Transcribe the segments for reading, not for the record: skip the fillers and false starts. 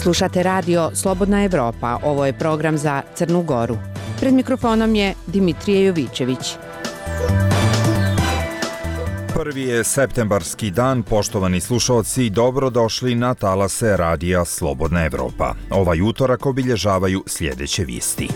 Slušate radio Slobodna Evropa, ovo je program za Crnu Goru. Pred mikrofonom je Dimitrije Jovićević. Prvi je septembarski dan, poštovani slušalci, dobrodošli na talase radija Slobodna Evropa. Ovaj utorak obilježavaju sljedeće vijesti.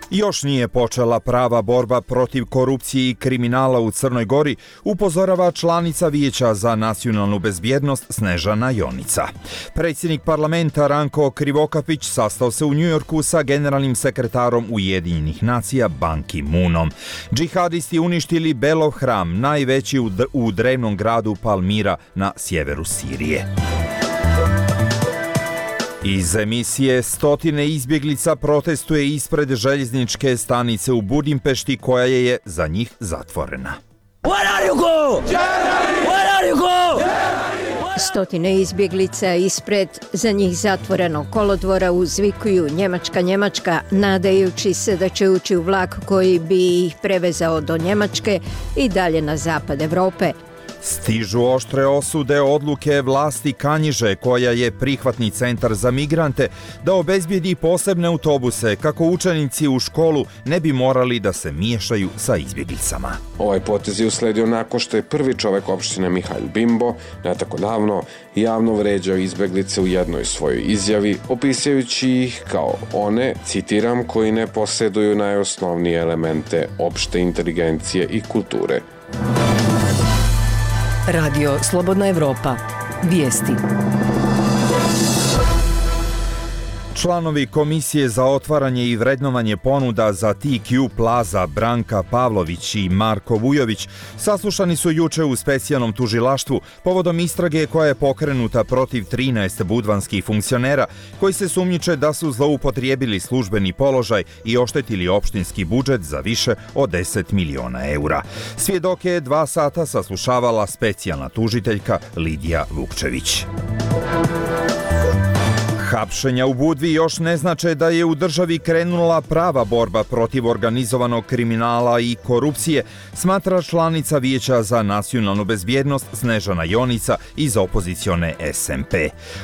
Još nije počela prava borba protiv korupcije i kriminala u Crnoj Gori, upozorava članica Vijeća za nacionalnu bezbjednost Snežana Jonica. Predsjednik parlamenta Ranko Krivokapić sastao se u Njujorku sa generalnim sekretarom Ujedinjenih nacija Ban Ki-moonom. Džihadisti uništili Belov hram, najveći u drevnom gradu Palmira na sjeveru Sirije. Iz emisije stotine izbjeglica protestuje ispred željezničke stanice u Budimpešti koja je za njih zatvorena. Stotine izbjeglica ispred za njih zatvorenog kolodvora uzvikuju Njemačka, Njemačka, nadajući se da će ući u vlak koji bi ih prevezao do Njemačke i dalje na zapad Evrope. Stižu oštre osude odluke vlasti Kanjiže, koja je prihvatni centar za migrante, da obezbijedi posebne autobuse kako učenici u školu ne bi morali da se miješaju sa izbjeglicama. Ovaj potez je usledio nakon što je prvi čovjek opštine Mihail Bimbo ne tako davno javno vređao izbjeglice u jednoj svojoj izjavi, opisujući ih kao one, citiram, koji ne posjeduju najosnovnije elemente opšte inteligencije i kulture. Radio Slobodna Evropa. Vijesti. Članovi Komisije za otvaranje i vrednovanje ponuda za TQ Plaza Branka Pavlović i Marko Vujović saslušani su juče u specijalnom tužilaštvu povodom istrage koja je pokrenuta protiv 13 budvanskih funkcionera koji se sumnjiče da su zloupotrijebili službeni položaj i oštetili opštinski budžet za više od 10 miliona eura. Svjedoke je 2 sata saslušavala specijalna tužiteljka Lidija Vukčević. Hapšenja u Budvi još ne znače da je u državi krenula prava borba protiv organizovanog kriminala i korupcije, smatra članica Vijeća za nacionalnu bezbjednost Snežana Jonica iz opozicione SMP.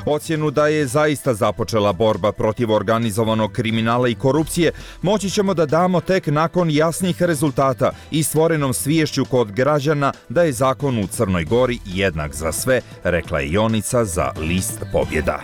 Ocjenu da je zaista započela borba protiv organizovanog kriminala i korupcije moći ćemo da damo tek nakon jasnih rezultata i stvorenom sviješću kod građana da je zakon u Crnoj Gori jednak za sve, rekla je Jonica za list Pobjeda.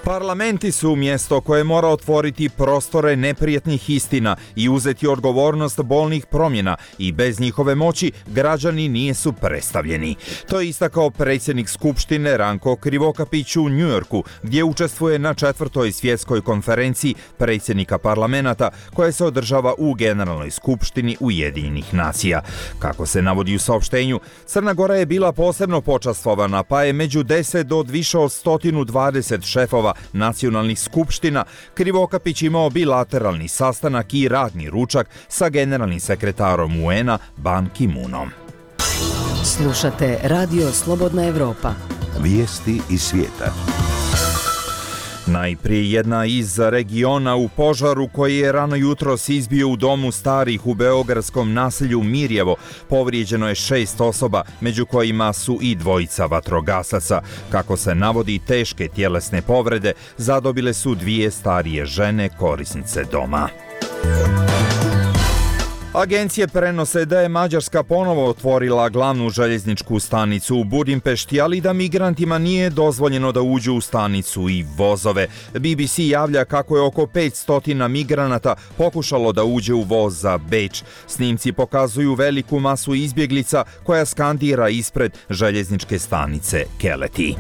Parlamenti su mjesto koje mora otvoriti prostore neprijatnih istina i uzeti odgovornost bolnih promjena i bez njihove moći građani nisu predstavljeni. To je istakao predsjednik Skupštine Ranko Krivokapić u Njujorku, gdje učestvuje na 4. svjetskoj konferenciji predsjednika parlamenta koja se održava u Generalnoj skupštini Ujedinjenih nacija. Kako se navodi u saopštenju, Crna Gora je bila posebno počastvovana, pa je među 10 do više od 120 šefova nacionalnih skupština Krivokapić imao bilateralni sastanak i radni ručak sa generalnim sekretarom UN-a Ban Ki-moonom. Slušate radio Slobodna Evropa. Vijesti iz svijeta. Najprije jedna iz regiona u požaru koji je rano jutros izbio u domu starih u beogradskom naselju Mirjevo. Povrijeđeno je 6 osoba, među kojima su i 2 vatrogasaca. Kako se navodi, teške tjelesne povrede zadobile su 2 starije žene korisnice doma. Agencije prenose da je Mađarska ponovo otvorila glavnu željezničku stanicu u Budimpešti, ali da migrantima nije dozvoljeno da uđu u stanicu i vozove. BBC javlja kako je oko 500 migranata pokušalo da uđe u voz za Beč. Snimci pokazuju veliku masu izbjeglica koja skandira ispred željezničke stanice Keleti.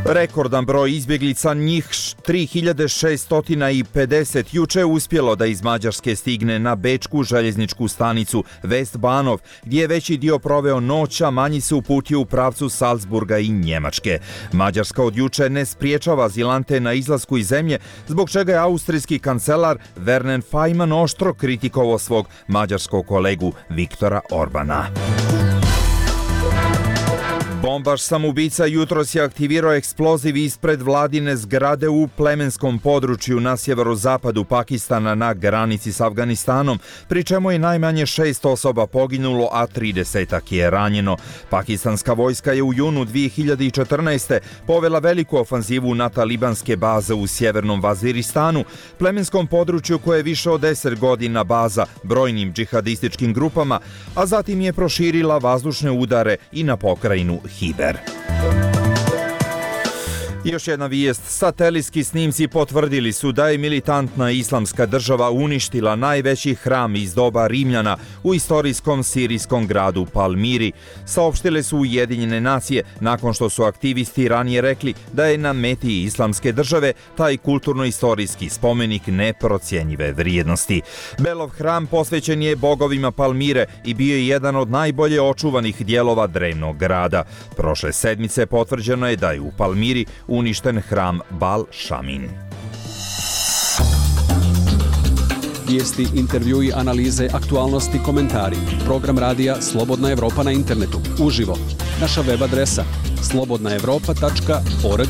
Rekordan broj izbjeglica, njih 3650, juče uspjelo da iz Mađarske stigne na bečku željezničku stanicu Vestbanov, gdje je veći dio proveo noć, a manji se uputio u pravcu Salzburga i Njemačke. Mađarska od juče ne spriječava azilante na izlasku iz zemlje, zbog čega je austrijski kancelar Verner Faymann oštro kritikovao svog mađarskog kolegu Viktora Orbana. Bombaš samoubica jutros je aktivirao eksploziv ispred vladine zgrade u plemenskom području na sjeverozapadu Pakistana na granici s Afganistanom, pri čemu je najmanje 6 osoba poginulo, a 30 je ranjeno. Pakistanska vojska je u junu 2014. povela veliku ofanzivu na talibanske baze u sjevernom Vaziristanu, plemenskom području koje je više od 10 godina baza brojnim džihadističkim grupama, a zatim je proširila vazdušne udare i na pokrajinu Hiber. Još jedna vijest. Satelitski snimci potvrdili su da je militantna islamska država uništila najveći hram iz doba Rimljana u istorijskom sirijskom gradu Palmiri. Saopštile su Ujedinjene nacije nakon što su aktivisti ranije rekli da je na meti islamske države taj kulturno-istorijski spomenik neprocjenjive vrijednosti. Belov hram posvećen je bogovima Palmire i bio je jedan od najbolje očuvanih dijelova drevnog grada. Prošle sedmice potvrđeno je da je u Palmiri uništen hram Bal Šamin. Vijesti, intervjui, analize, aktualnosti, komentari. Program radija Slobodna Evropa na internetu. Uživo. Naša web adresa slobodnaevropa.org.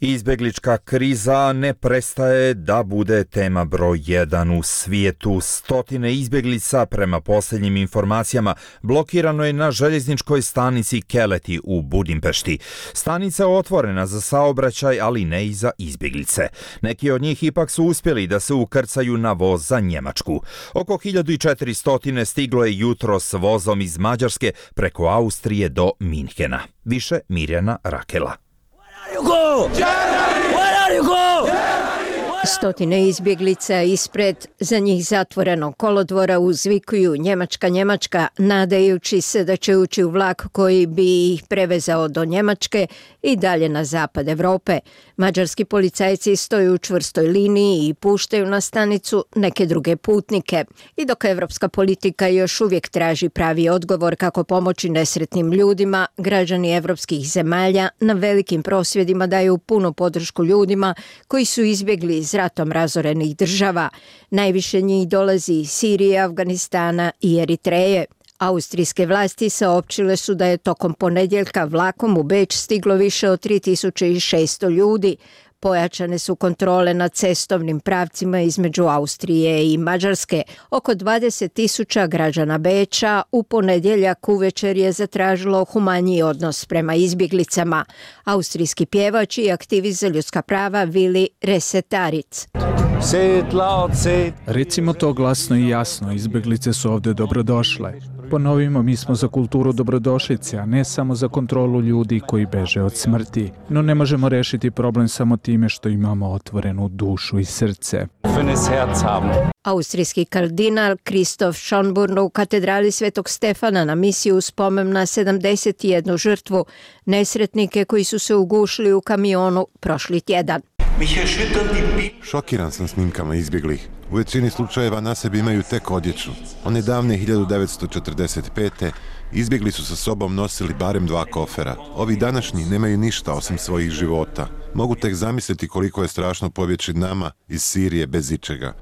Izbjeglička kriza ne prestaje da bude tema broj 1 u svijetu. Stotine izbjeglica, prema posljednjim informacijama, blokirano je na željezničkoj stanici Keleti u Budimpešti. Stanica je otvorena za saobraćaj, ali ne i za izbjeglice. Neki od njih ipak su uspjeli da se ukrcaju na voz za Njemačku. Oko 1400 stiglo je jutros vozom iz Mađarske preko Austrije do Minhena. Više Mirjana Rakela. Stotine izbjeglica ispred za njih zatvorenog kolodvora uzvikuju Njemačka, Njemačka, nadajući se da će ući u vlak koji bi ih prevezao do Njemačke i dalje na zapad Evrope. Mađarski policajci stoju u čvrstoj liniji i puštaju na stanicu neke druge putnike. I dok evropska politika još uvijek traži pravi odgovor kako pomoći nesretnim ljudima, građani evropskih zemalja na velikim prosvjedima daju punu podršku ljudima koji su izbjegli iz ratom razorenih država. Najviše njih dolazi iz Sirije, Afganistana i Eritreje. Austrijske vlasti saopćile su da je tokom ponedjeljka vlakom u Beč stiglo više od 3600 ljudi. Pojačane su kontrole na cestovnim pravcima između Austrije i Mađarske. Oko 20.000 građana Beča u ponedjeljak uvečer je zatražilo humaniji odnos prema izbjeglicama. Austrijski pjevač i aktivist za ljudska prava Vili Resetaric. Recimo to glasno i jasno, izbjeglice su ovdje dobrodošle. Ponovimo, mi smo za kulturu dobrodošlice, a ne samo za kontrolu ljudi koji beže od smrti. No ne možemo rešiti problem samo time što imamo otvorenu dušu i srce. Austrijski kardinal Kristof Schonborn u katedrali Svetog Stefana na misiju u spomen na 71 žrtvu, nesretnike koji su se ugušili u kamionu prošli tjedan. Šokiran sam snimkama izbjeglih. U većini slučajeva na sebi imaju tek odjeću. One davne 1945. izbjegli su sa sobom nosili barem 2 kofera. Ovi današnji nemaju ništa osim svojih života. Mogu tek zamisliti koliko je strašno pobjeći nama iz Sirije bez ičega.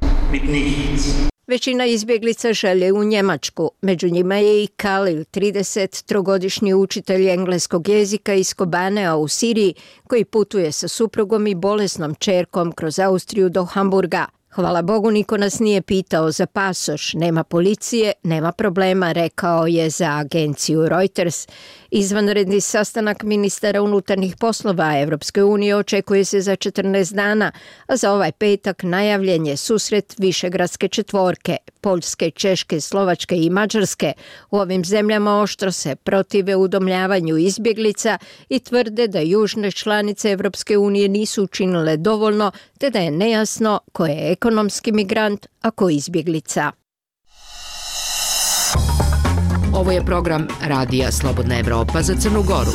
Većina izbjeglica žele u Njemačku. Među njima je i Kalil, 33-godišnji učitelj engleskog jezika iz Kobanea u Siriji, koji putuje sa suprugom i bolesnom ćerkom kroz Austriju do Hamburga. Hvala Bogu, niko nas nije pitao za pasoš, nema policije, nema problema, rekao je za agenciju Reuters. Izvanredni sastanak ministara unutarnjih poslova Evropske unije očekuje se za 14 dana, a za ovaj petak najavljen je susret Višegradske četvorke, Poljske, Češke, Slovačke i Mađarske. U ovim zemljama oštro se protive udomljavanju izbjeglica i tvrde da južne članice Evropske unije nisu učinile dovoljno, te da je nejasno ko je ekonomski migrant, a ko izbjeglica. Ovo je program Radija Slobodna Evropa za Crnu Goru.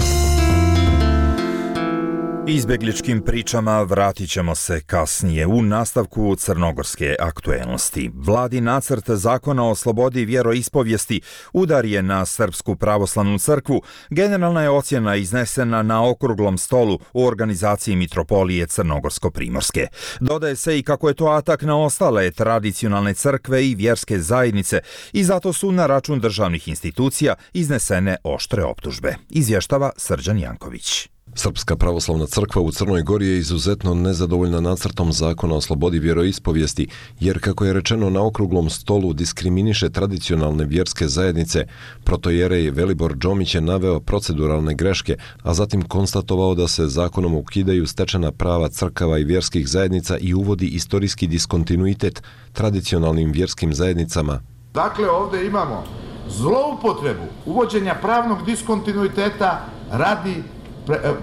Izbjegličkim pričama vratit ćemo se kasnije u nastavku crnogorske aktuelnosti. Vladin nacrt zakona o slobodi vjeroispovijesti udar je na Srpsku pravoslavnu crkvu. Generalna je ocjena iznesena na okruglom stolu u organizaciji Mitropolije Crnogorsko-Primorske. Dodaje se i kako je to atak na ostale tradicionalne crkve i vjerske zajednice i zato su na račun državnih institucija iznesene oštre optužbe. Izvještava Srđan Janković. Srpska pravoslavna crkva u Crnoj Gori je izuzetno nezadovoljna nacrtom zakona o slobodi vjeroispovijesti, jer kako je rečeno na okruglom stolu diskriminiše tradicionalne vjerske zajednice. Protojerej Velibor Džomić je naveo proceduralne greške, a zatim konstatovao da se zakonom ukidaju stečena prava crkava i vjerskih zajednica i uvodi istorijski diskontinuitet tradicionalnim vjerskim zajednicama. Dakle, ovdje imamo zloupotrebu uvođenja pravnog diskontinuiteta radi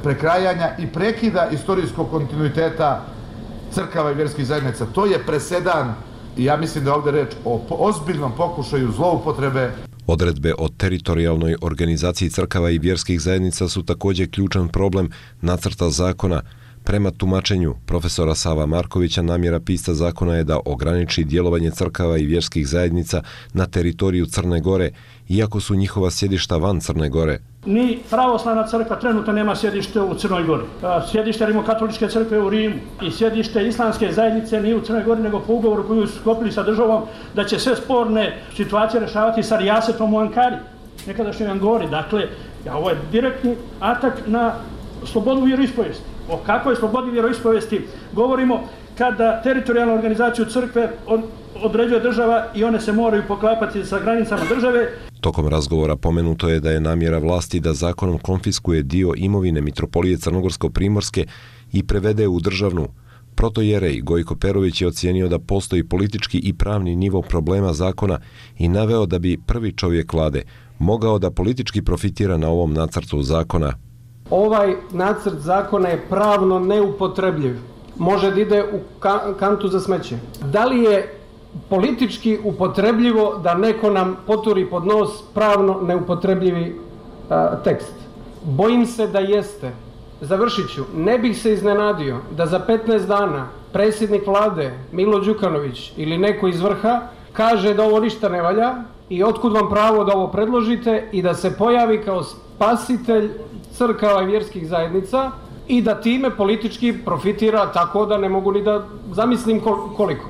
prekrajanja i prekida istorijskog kontinuiteta crkava i vjerskih zajednica. To je presedan i ja mislim da je ovdje reč o ozbiljnom pokušaju zloupotrebe. Odredbe o teritorijalnoj organizaciji crkava i vjerskih zajednica su također ključan problem nacrta zakona. Prema tumačenju profesora Sava Markovića, namjera pisca zakona je da ograniči djelovanje crkava i vjerskih zajednica na teritoriju Crne Gore, iako su njihova sjedišta van Crne Gore. Ni pravoslavna crkva trenutno nema sjedište u Crnoj Gori. Sjedište Rimokatoličke crkve u Rimu i sjedište islamske zajednice nije u Crnoj Gori, nego po ugovoru koju su sklopili sa državom da će sve sporne situacije rješavati sa rijasetom u Ankari, nekadašnjoj Angori. Dakle, ovo je direktni atak na slobodu vjeroispovijesti. O kakvoj slobodi vjeroispovijesti govorimo kada teritorijalnu organizaciju crkve određuje država i one se moraju poklapati sa granicama države. Tokom razgovora pomenuto je da je namjera vlasti da zakonom konfiskuje dio imovine Mitropolije Crnogorsko-Primorske i prevede u državnu. Protojerej Gojko Perović je ocijenio da postoji politički i pravni nivo problema zakona i naveo da bi prvi čovjek vlade mogao da politički profitira na ovom nacrtu zakona. Ovaj nacrt zakona je pravno neupotrebljiv. Može da ide u kantu za smeće. Da li je politički upotrebljivo da neko nam poturi pod nos pravno neupotrebljivi tekst? Bojim se da jeste. Završit ću. Ne bih se iznenadio da za 15 dana predsjednik vlade Milo Đukanović ili neko iz vrha kaže da ovo ništa ne valja i otkud vam pravo da ovo predložite i da se pojavi kao spasitelj crkava i vjerskih zajednica i da time politički profitira tako da ne mogu ni da zamislim koliko.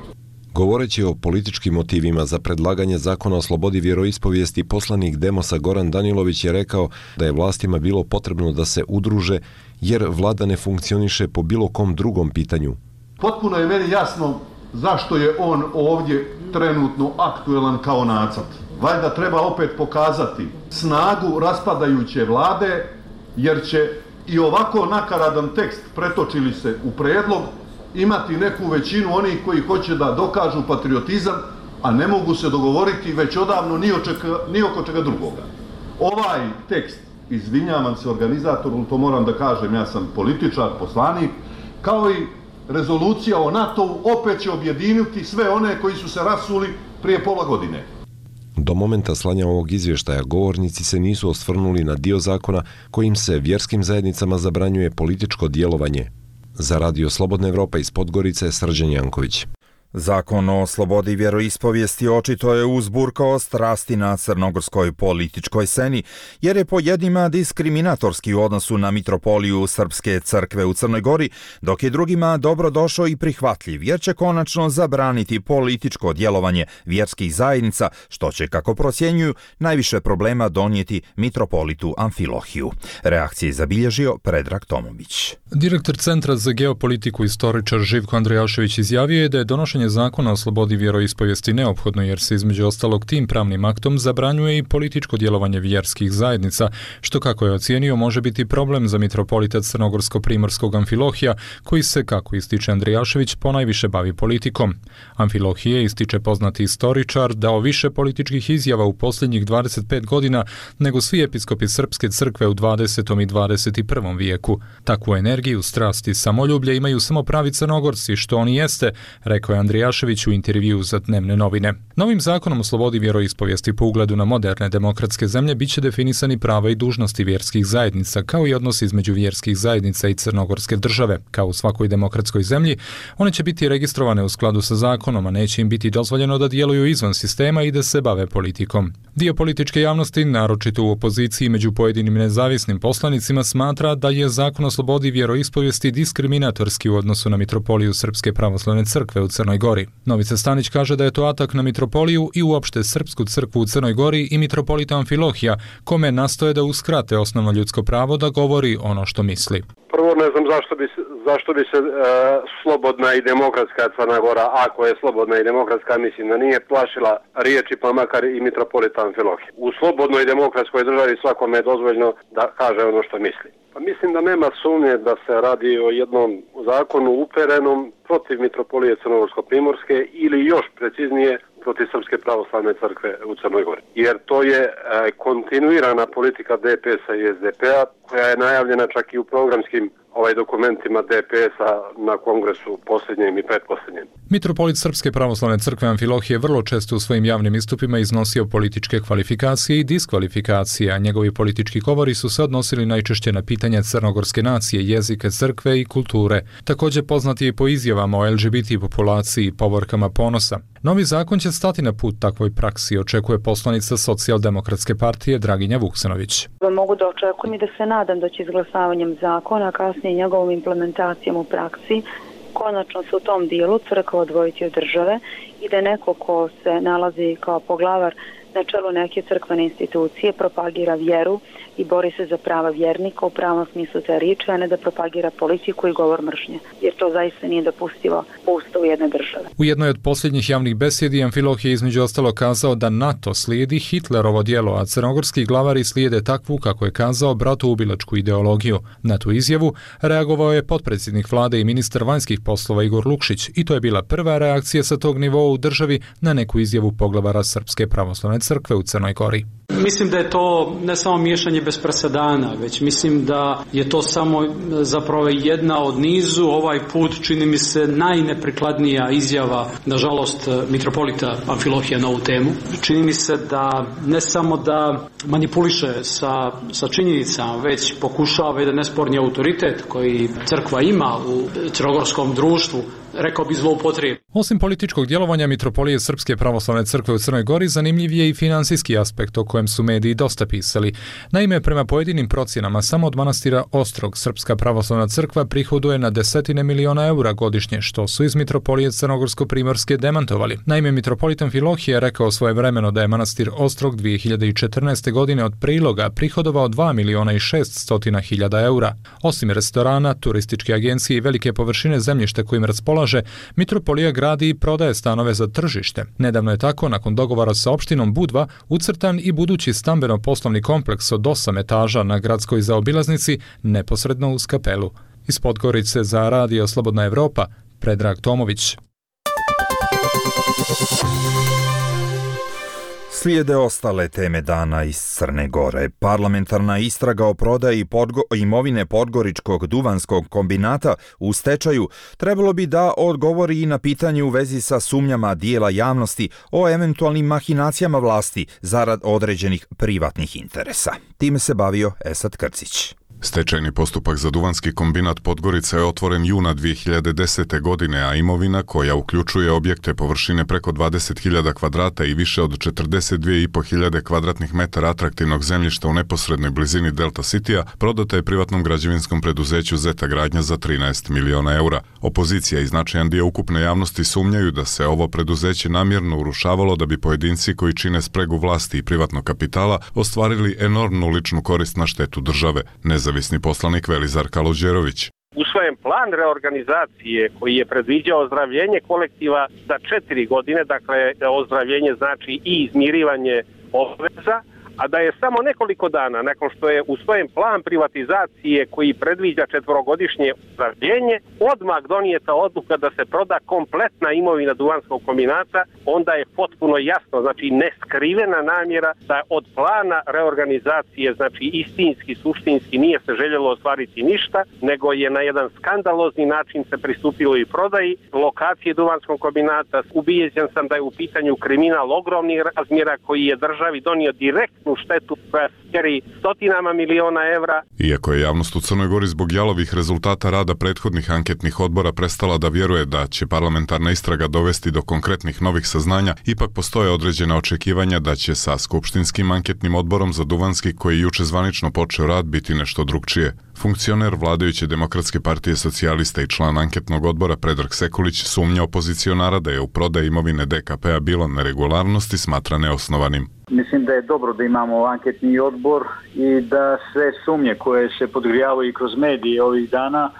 Govoreći o političkim motivima za predlaganje zakona o slobodi vjeroispovijesti, poslanik Demosa Goran Danilović je rekao da je vlastima bilo potrebno da se udruže jer vlada ne funkcioniše po bilo kom drugom pitanju. Potpuno je meni jasno zašto je on ovdje trenutno aktuelan kao nacrt. Valjda treba opet pokazati snagu raspadajuće vlade, jer će i ovako nakaradan tekst, pretočili se u prijedlog, imati neku većinu onih koji hoće da dokažu patriotizam, a ne mogu se dogovoriti već odavno ni oko čega drugoga. Ovaj tekst, izvinjavam se organizatoru, to moram da kažem, ja sam političar, poslanik, kao i rezolucija o NATO-u opet će objediniti sve one koji su se rasuli prije pola godine. Do momenta slanja ovog izvještaja govornici se nisu osvrnuli na dio zakona kojim se vjerskim zajednicama zabranjuje političko djelovanje. Za Radio Slobodna Evropa iz Podgorice, Srđan Janković. Zakon o slobodi vjeroispovijesti očito je uzburkao strasti na crnogorskoj političkoj sceni, jer je po jednima diskriminatorski u odnosu na Mitropoliju Srpske crkve u Crnoj Gori, dok je drugima dobrodošao i prihvatljiv, jer će konačno zabraniti političko djelovanje vjerskih zajednica, što će, kako procjenjuju, najviše problema donijeti mitropolitu Amfilohiju. Reakcije je zabilježio Predrag Tomović. Direktor Centra za geopolitiku istoričar Živko Andrijašević izjavio je da je donošenje zakona o slobodi vjeroispovijesti neophodno, jer se između ostalog tim pravnim aktom zabranjuje i političko djelovanje vjerskih zajednica, što, kako je ocijenio, može biti problem za mitropolita Crnogorsko-Primorskog Amfilohija, koji se, kako ističe Andrijašević, ponajviše bavi politikom. Amfilohije, ističe poznati istoričar, dao više političkih izjava u posljednjih 25 godina nego svi episkopi Srpske crkve u 20. i 21. vijeku. Takvu energiju, strast i samoljublje imaju samo pravi Crnogorci, što oni jeste, rekao je Andrijašević u intervjuu za Dnevne novine. Novim zakonom o slobodi vjeroispovijesti po ugledu na moderne demokratske zemlje biće definisani prava i dužnosti vjerskih zajednica, kao i odnosi između vjerskih zajednica i crnogorske države. Kao u svakoj demokratskoj zemlji, one će biti registrovane u skladu sa zakonom, a neće im biti dozvoljeno da djeluju izvan sistema i da se bave politikom. Dio političke javnosti, naročito u opoziciji među pojedinim nezavisnim poslanicima, smatra da je zakon o slobodi vjeroispovijesti diskriminatorski u odnosu na mitropoliju Srpske pravoslavne crkve u Crnoj Gori. Novica Stanić kaže da je to atak na mitropoliju i uopšte Srpsku crkvu u Crnoj Gori i mitropolita Amfilohija, kome nastoje da uskrate osnovno ljudsko pravo da govori ono što misli. Prvo ne znam zašto bi se slobodna i demokratska Crna Gora, ako je slobodna i demokratska, mislim da nije plašila riječi pa makar i mitropolita Amfilohija. U slobodnoj demokratskoj državi svakome je dozvoljeno da kaže ono što misli. Pa mislim da nema sumnje da se radi o jednom zakonu uperenom protiv mitropolije Crnogorsko-primorske ili još preciznije protiv Srpske pravoslavne crkve u Crnoj Gori. Jer to je kontinuirana politika DPS-a i SDP-a koja je najavljena čak i u programskim dokumentima DPS-a na kongresu posljednjem i pretposljednjem. Mitropolit Srpske pravoslavne crkve Amfilohije vrlo često u svojim javnim istupima iznosio političke kvalifikacije i diskvalifikacije, a njegovi politički govori su se odnosili najčešće na pitanja crnogorske nacije, jezika, crkve i kulture. Također poznat je i po izjavama o LGBT populaciji i povorkama ponosa. Novi zakon će stati na put takvoj praksi, očekuje poslanica Socijaldemokratske partije Draginja Vuksanović. Mogu da očekujem i da se nadam da će izglasavanjem zakona, kasnije njegovom implementacijom u praksi, konačno se u tom dijelu crkva odvojiti od države i da neko ko se nalazi kao poglavar na čelu neke crkvene institucije propagira vjeru i bori se za prava vjernika u pravom smislu te riječi, a ne da propagira politiku i govor mržnje, jer to zaista nije dopustivo po ustavu jedne države. U jednoj od posljednjih javnih besjedi Amfilohije je između ostalo kazao da NATO slijedi Hitlerovo djelo, a crnogorski glavari slijede takvu, kako je kazao, bratoubilačku ideologiju. Na tu izjavu reagovao je potpredsjednik vlade i ministar vanjskih poslova Igor Lukšić i to je bila prva reakcija sa tog nivoa u državi na neku izjavu poglavara Srpske pravoslavne crkve u Crnoj Gori. Mislim da je to ne samo miješanje bez presedana, već mislim da je to samo zapravo jedna od nizu, ovaj put čini mi se najneprikladnija izjava, nažalost, mitropolita Amfilohija na ovu temu. Čini mi se da ne samo da manipuliše sa činjenicama, već pokušava jedan nesporni autoritet koji crkva ima u crnogorskom društvu, rekao bi zloupotrijebi. Osim političkog djelovanja mitropolije Srpske pravoslavne crkve u Crnoj Gori, zanimljiv je i financijski aspekt o kojem su mediji dosta pisali. Naime, prema pojedinim procjenama, samo od manastira Ostrog Srpska pravoslavna crkva prihoduje na desetine miliona eura godišnje, što su iz mitropolije Crnogorsko-primorske demantovali. Naime, mitropolit Amfilohije je rekao svojevremeno da je manastir Ostrog 2014. godine od priloga prihodovao 2 miliona i 600 hiljada eura. Osim restorana, turističke agencije i velike površine zemljišta kojim raspolaže, mitropolija gradi i prodaje stanove za tržište. Nedavno je tako, nakon dogovora sa opštinom Budva, ucrtan i budući stambeno-poslovni kompleks od 8 etaža na gradskoj zaobilaznici neposredno uz kapelu. Iz Podgorice za Radio Slobodna Evropa, Predrag Tomović. Slijede ostale teme dana iz Crne Gore. Parlamentarna istraga o prodaji imovine Podgoričkog duvanskog kombinata u stečaju trebalo bi da odgovori i na pitanje u vezi sa sumnjama dijela javnosti o eventualnim mahinacijama vlasti zarad određenih privatnih interesa. Time se bavio Esad Krcić. Stečajni postupak za duvanski kombinat Podgorica je otvoren juna 2010. godine, a imovina koja uključuje objekte površine preko 20.000 kvadrata i više od 42.500 kvadratnih metara atraktivnog zemljišta u neposrednoj blizini Delta Citya prodata je privatnom građevinskom preduzeću Zeta Gradnja za 13 miliona eura. Opozicija i značajan dio ukupne javnosti sumnjaju da se ovo preduzeće namjerno urušavalo da bi pojedinci koji čine spregu vlasti i privatnog kapitala ostvarili enormnu ličnu korist na štetu države. Nezavisni poslanik Velizar Kaluđerović. Usvojen plan reorganizacije koji je predviđao ozdravljenje kolektiva za 4 godine, dakle ozdravljenje znači i izmirivanje obveza, a da je samo nekoliko dana nakon što je usvojen plan privatizacije koji predviđa 4-godišnje ozdravljenje, odmah donijeta odluka da se proda kompletna imovina Duvanskog kombinata, onda je potpuno jasno, znači neskrivena namjera da od plana reorganizacije, znači istinski, suštinski nije se željelo ostvariti ništa, nego je na jedan skandalozni način se pristupilo i prodaji lokacije Duvanskog kombinata. Ubijeđen sam da je u pitanju kriminal ogromnih razmjera koji je državi donio direktnu štetu koja mjeri stotinama miliona evra. Iako je javnost u Crnoj Gori zbog jalovih rezultata rada prethodnih anketnih odbora prestala da vjeruje da će parlamentarna istraga dovesti do konkretnih novih saznanja, ipak postoje određena očekivanja da će sa skupštinskim anketnim odborom za Duvanski, koji juče zvanično počeo rad, biti nešto drugčije. Funkcioner vladajuće Demokratske partije socijalista i član anketnog odbora Predrag Sekulić sumnja opozicionara da je u prodaji imovine DKP-a bilo neregularnosti, smatra neosnovanim. Mislim da je dobro da imamo anketni odbor i da sve sumnje koje se podgrijavaju i kroz medije ovih dana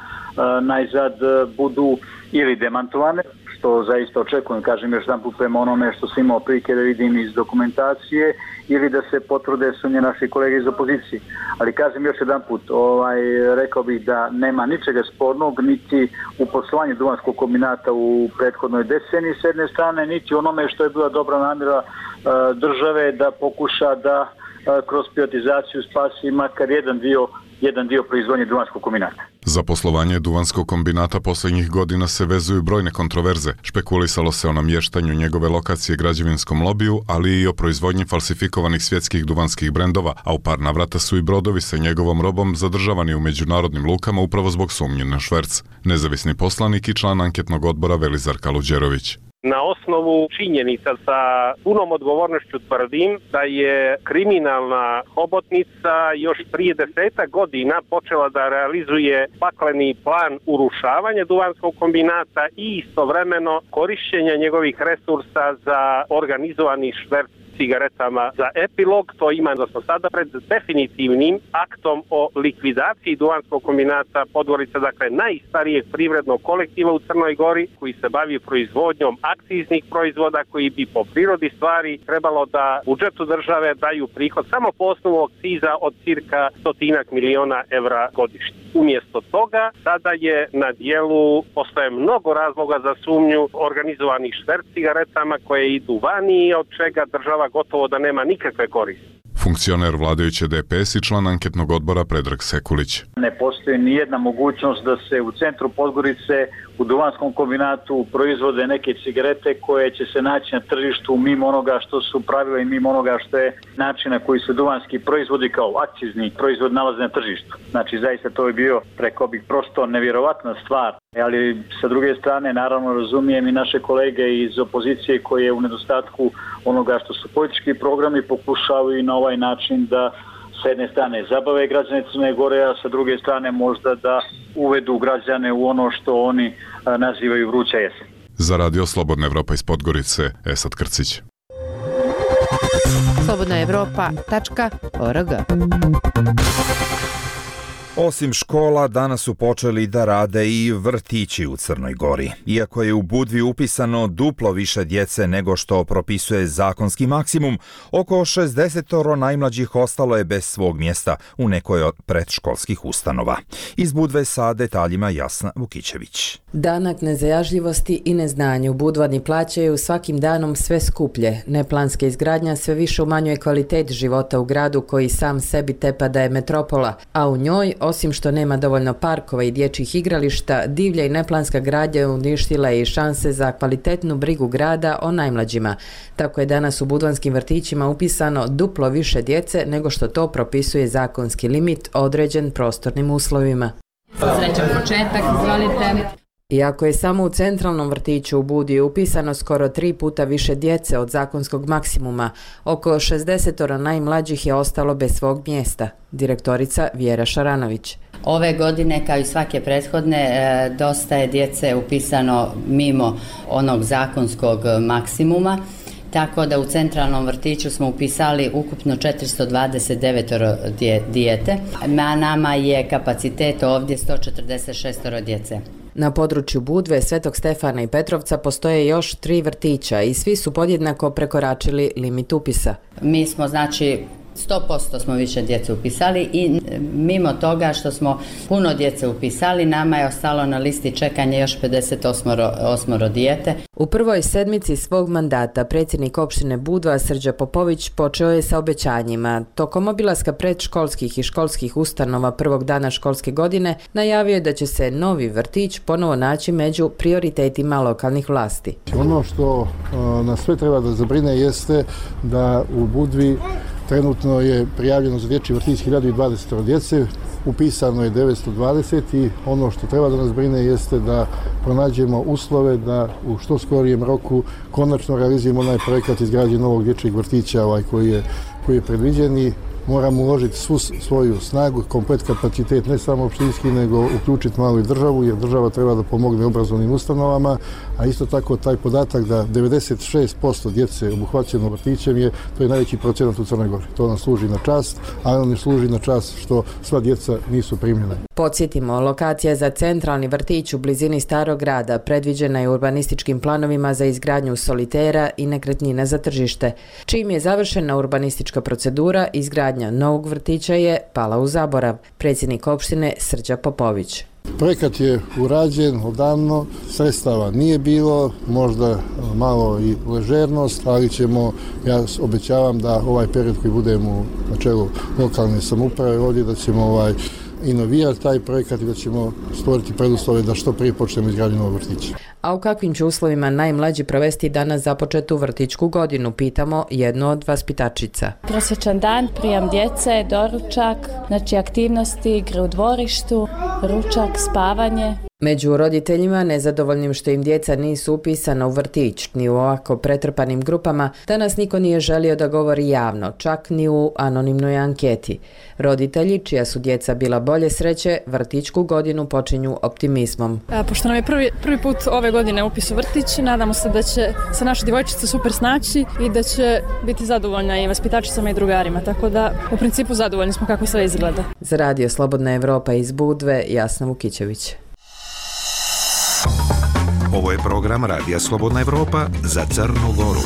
najzad budu ili demantovane, što zaista očekujem, kažem još jedan put prema onome što sam imao prilike da vidim iz dokumentacije, ili da se potvrde sumnje naših kolega iz opozicije. Ali kažem još jedan put, rekao bih da nema ničega spornog niti u poslovanju Duvanskog kombinata u prethodnoj deceniji s jedne strane, niti onome što je bila dobra namjera države da pokuša da kroz privatizaciju spasi makar jedan dio proizvodnje Duvanskog kombinata. Za poslovanje Duvanskog kombinata posljednjih godina se vezuju brojne kontroverze. Špekulisalo se o namještanju njegove lokacije građevinskom lobiju, ali i o proizvodnji falsifikovanih svjetskih duvanskih brendova, a u par navrata su i brodovi sa njegovom robom zadržavani u međunarodnim lukama upravo zbog sumnje na šverc. Nezavisni poslanik i član anketnog odbora Velizar Kaluđerović. Na osnovu činjenica sa punom odgovornošću tvrdim da je kriminalna hobotnica još prije 10 godina počela da realizuje pakleni plan urušavanja Duvanskog kombinata i istovremeno korišćenja njegovih resursa za organizovani šverc cigaretama za epilog. To ima da smo sada pred definitivnim aktom o likvidaciji Duvanskog kombinata Podgorica, dakle najstarijeg privrednog kolektiva u Crnoj Gori koji se bavi proizvodnjom akciznih proizvoda koji bi po prirodi stvari trebalo da budžetu države daju prihod samo po osnovu akciza od cirka 100 miliona evra godišnje. Umjesto toga, sada je na dijelu, postoje mnogo razloga za sumnju organizovanih šverc cigaretama koje idu vani i od čega država gotovo da nema nikakve koristi. Funkcioner vladajuće DPS i član anketnog odbora Predrag Sekulić. Ne postoji ni jedna mogućnost da se u centru Podgorice u Duvanskom kombinatu proizvode neke cigarete koje će se naći na tržištu mimo onoga što su pravila i mimo onoga što je način na koji se duvanski proizvodi kao akcizni proizvod nalaze na tržištu. Znači zaista to je bio, rekao bih, prosto nevjerovatna stvar. Ali sa druge strane naravno razumijem i naše kolege iz opozicije koje u nedostatku onoga što su politički programi pokušavaju i na ovaj način da sa jedne strane zabave građane Crne Gore, a sa druge strane možda da uvedu građane u ono što oni nazivaju vruća jesen. Za Radio Slobodna Evropa iz Podgorice, Esad Krcić. slobodnaevropa.org. Osim škola, danas su počeli da rade i vrtići u Crnoj Gori. Iako je u Budvi upisano duplo više djece nego što propisuje zakonski maksimum, oko 60 najmlađih ostalo je bez svog mjesta u nekoj od predškolskih ustanova. Iz Budve sa detaljima Jasna Vukićević. Danak nezajažljivosti i neznanju Budvani plaćaju svakim danom sve skuplje. Neplanska izgradnja sve više umanjuje kvalitet života u gradu koji sam sebi tepa da je metropola, a u njoj, osim što nema dovoljno parkova i dječjih igrališta, divlja i neplanska gradnja uništila je i šanse za kvalitetnu brigu grada o najmlađima. Tako je danas u budvanskim vrtićima upisano duplo više djece nego što to propisuje zakonski limit određen prostornim uslovima. Srećan početak, izvolite. Iako je samo u centralnom vrtiću u Budvi upisano skoro 3 puta više djece od zakonskog maksimuma, oko 60 najmlađih je ostalo bez svog mjesta. Direktorica Vjera Šaranović. Ove godine, kao i svake prethodne, dosta je djece upisano mimo onog zakonskog maksimuma, tako da u centralnom vrtiću smo upisali ukupno 429 dijete, a nama je kapacitet ovdje 146 djece. Na području Budve, Svetog Stefana i Petrovca postoje još 3 vrtića i svi su podjednako prekoračili limit upisa. Mi smo 100% smo više djece upisali i mimo toga što smo puno djece upisali, nama je ostalo na listi čekanja još 58 dijete. U prvoj sedmici svog mandata predsjednik opštine Budva Srđa Popović počeo je sa obećanjima. Tokom obilaska predškolskih i školskih ustanova prvog dana školske godine najavio je da će se novi vrtić ponovo naći među prioritetima lokalnih vlasti. Ono što nas sve treba da zabrine jeste da u Budvi trenutno je prijavljeno za dječji vrtić 1020 djece, upisano je 920 i ono što treba da nas brine jeste da pronađemo uslove da u što skorijem roku konačno realizujemo onaj projekat izgradnje novog dječjeg vrtića koji je predviđen i moramo uložiti svu svoju snagu, komplet kapacitet, ne samo opštinski, nego uključiti malo i državu, jer država treba da pomogne obrazovnim ustanovama, a isto tako taj podatak da 96% djece obuhvaćeno vrtićem to je najveći procenat u Crnoj Gori. To nam služi na čast, ali nam ne služi na čast što sva djeca nisu primljena. Podsjetimo, lokacija za centralni vrtić u blizini Starog grada predviđena je urbanističkim planovima za izgradnju solitera i nekretnina za tržište. Čim je završena urbanistička procedura, izgradnja novog vrtića je pala u zaborav. Predsjednik opštine Srđa Popović. Projekat je urađen odavno, sredstava nije bilo, možda malo i ležernost, ali ja obećavam da ovaj period koji budemo na čelu lokalne samouprave ovdje, da ćemo inovirati taj projekat i da ćemo stvoriti preduslove da što prije počnemo izgradnju novog vrtića. A u kakvim će uslovima najmlađi provesti danas započetu vrtićku godinu, pitamo jednu od vaspitačica. Prosječan dan, prijam djece, doručak, aktivnosti, igre u dvorištu, ručak, spavanje. Među roditeljima nezadovoljnim što im djeca nisu upisana u vrtić ni u ovako pretrpanim grupama, danas niko nije želio da govori javno, čak ni u anonimnoj anketi. Roditelji, čija su djeca bila bolje sreće, vrtićku godinu počinju optimizmom. Pošto nam je prvi put ove godine upis u vrtić, nadamo se da će se naša djevojčica super snaći i da će biti zadovoljna i vaspitačicama i drugarima, tako da u principu zadovoljni smo kako sve izgleda. Za Radio Slobodna Evropa iz Budve, Jasna Vukićević. Ovo je program Radija Slobodna Evropa za Crnu Goru.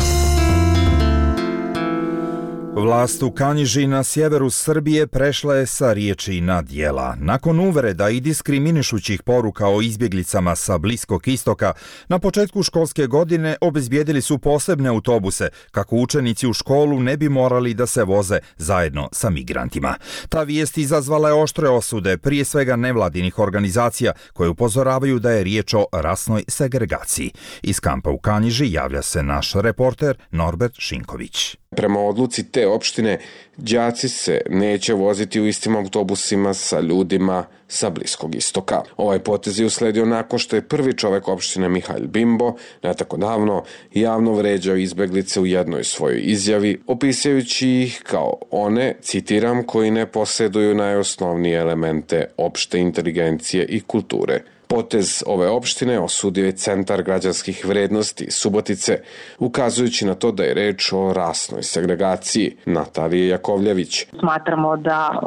Vlast u Kanjiži na sjeveru Srbije prešla je sa riječi na djela. Nakon uvreda i diskriminišućih poruka o izbjeglicama sa Bliskog istoka, na početku školske godine obezbijedili su posebne autobuse kako učenici u školu ne bi morali da se voze zajedno sa migrantima. Ta vijest izazvala je oštre osude, prije svega nevladinih organizacija koje upozoravaju da je riječ o rasnoj segregaciji. Iz kampa u Kanjiži javlja se naš reporter Norbert Šinković. Prema odluci te opštine, đaci se neće voziti u istim autobusima sa ljudima sa Bliskog istoka. Ovaj potez je usledio nakon što je prvi čovjek opštine Mihail Bimbo ne tako davno javno vređao izbeglice u jednoj svojoj izjavi, opisujući ih kao one, citiram, koji ne posjeduju najosnovnije elemente opšte inteligencije i kulture. Potez ove opštine osudio je Centar građanskih vrednosti Subotice, ukazujući na to da je reč o rasnoj segregaciji. Natalija Jakovljević. Smatramo da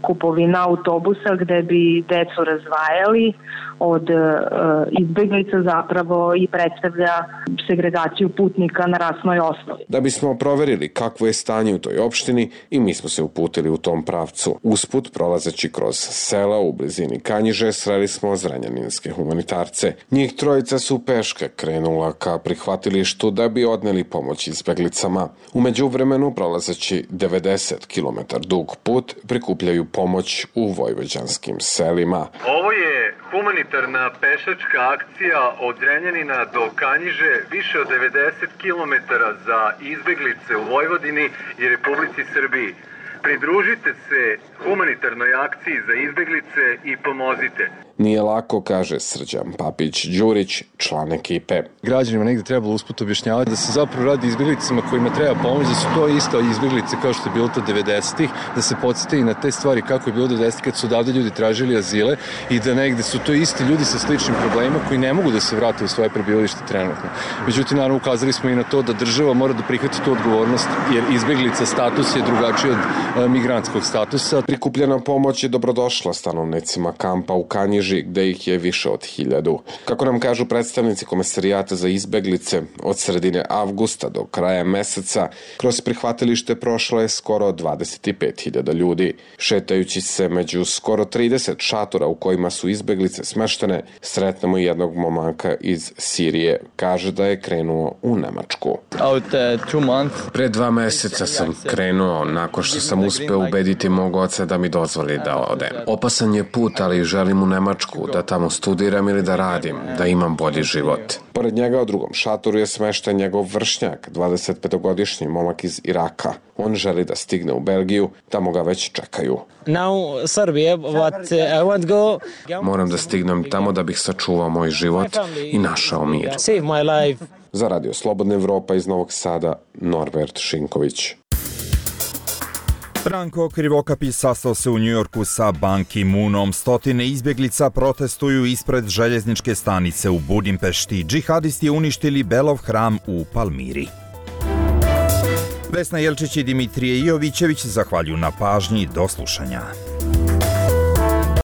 kupovina autobusa gde bi decu razdvajali od izbeglica zapravo i predstavlja segregaciju putnika na rasnoj osnovi. Da bismo proverili kakvo je stanje u toj opštini i mi smo se uputili u tom pravcu. Usput, prolazeći kroz sela u blizini Kanjiže, sreli smo zrenjaninske humanitarce. Njih trojica su peške krenula ka prihvatilištu da bi odneli pomoć izbeglicama. U međuvremenu, prolazeći 90 km dug put, prikupljaju pomoć u vojvođanskim selima. Ovo je humanitarna pešačka akcija od Zrenjanina do Kanjiže, više od 90 km za izbeglice u Vojvodini i Republici Srbiji. Pridružite se humanitarnoj akciji za izbeglice i pomozite. Nije lako, kaže Srđan Papić-Đurić, član ekipe. Građanima negdje trebalo usput objašnjavati da se zapravo radi izbjeglicama kojima treba pomoći, da su to isto izbjeglice kao što je bilo to 90-ih, da se podsjeti i na te stvari kako je bilo 90-ih kad su odavde ljudi tražili azile i da negdje su to isti ljudi sa sličnim problemima koji ne mogu da se vrate u svoje prebivalište trenutno. Međutim, naravno, ukazali smo i na to da država mora da prihvati tu odgovornost jer izbjeglica status je drugačiji od migrantskog statusa. Prikupljena pomoć je dobrodošla stanovnicima kampa u Kanjiži, gde ih je više od 1000. Kako nam kažu predstavnici Komesarijata za izbeglice, od sredine avgusta do kraja meseca kroz prihvatilište prošlo je skoro 25.000 ljudi. Šetajući se među skoro 30 šatora u kojima su izbeglice smeštene, sretnemo jednog momaka iz Sirije. Kaže da je krenuo u Nemačku. Pre 2 meseca sam krenuo nakon što sam uspeo ubediti mog oca da mi dozvoli da odem. Opasan je put, ali želim u Nemačku, da tamo studiram ili da radim, da imam bolji život. Pored njega u drugom šatoru je smešten njegov vršnjak, 25-godišnji momak iz Iraka. On želi da stigne u Belgiju, tamo ga već čekaju. Moram da stignem tamo da bih sačuvao moj život i našao mir. Za Radio Slobodna Evropa iz Novog Sada, Norbert Šinković. Branko Krivokapis sastao se u Njujorku sa Ban Ki-moonom. Stotine izbjeglica protestuju ispred željezničke stanice u Budimpešti. Džihadisti uništili Belov hram u Palmiri. Vesna Jelčić i Dimitrije Jovićević zahvaljuju na pažnji. Do slušanja.